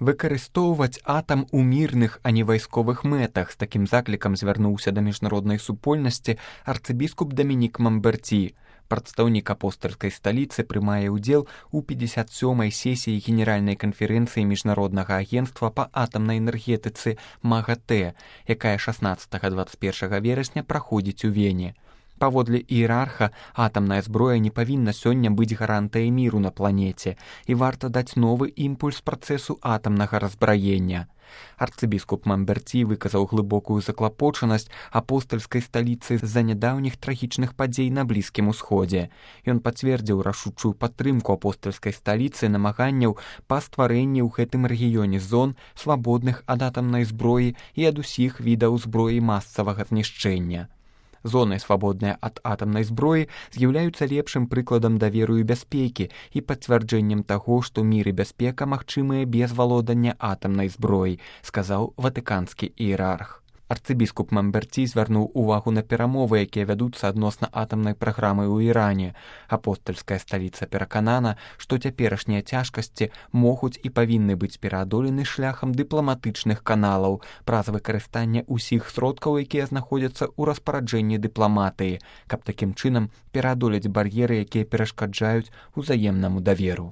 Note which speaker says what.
Speaker 1: Выкарыстоўваць атам у мірных, а не вайсковых мэтах. З такім заклікам звярнуўся да міжнароднай супольнасці арцыбіскуп Дамінік Мамберці. Прадстаўнік апостальскай сталіцы прымае ўдзел у 57-й сесіі генеральнай канферэнцыі міжнароднага агенцтва па атамнай энергетыцы МАГАТЭ, якая 16-21 верасня праходзіць у Вене. Паводле іерарха, атамная зброя не павінна сёння быць гарантыяй міру на планеце, і варта даць новы імпульс працэсу атамнага разбраення. Арцыбіскуп Мамберці выказаў глыбокую заклапочанасць апостальскай сталіцы з-за нядаўніх трагічных падзей на Блізкім Усходзе. Ён пацвердзіў рашучую падтрымку апостальскай сталіцы намаганняў па стварэнні ў гэтым рэгіёне зон, свабодных ад атамнай зброі і ад усіх відаў зброі масавага знішчэння. Зоны, свабодныя ад атамнай зброі, з'яўляюцца лепшым прыкладам даверу і бяспекі і пацвярджэннем таго, што мір і бяспека магчымыя без валодання атамнай зброі, сказаў ватыканскі іерарх. Арцыбіскуп Мамберці звярнуў увагу на перамовы, якія вядуцца адносна атамнай праграмы ў Іране. Апостальская сталіца пераканана, што цяперашнія цяжкасці могуць і павінны быць пераадолены шляхам дыпламатычных каналаў праз выкарыстанне ўсіх сродкаў, якія знаходзяцца ў распараджэнні дыпламатыі, каб такім чынам пераадолець бар'еры, якія перашкаджаюць узаемнаму даверу.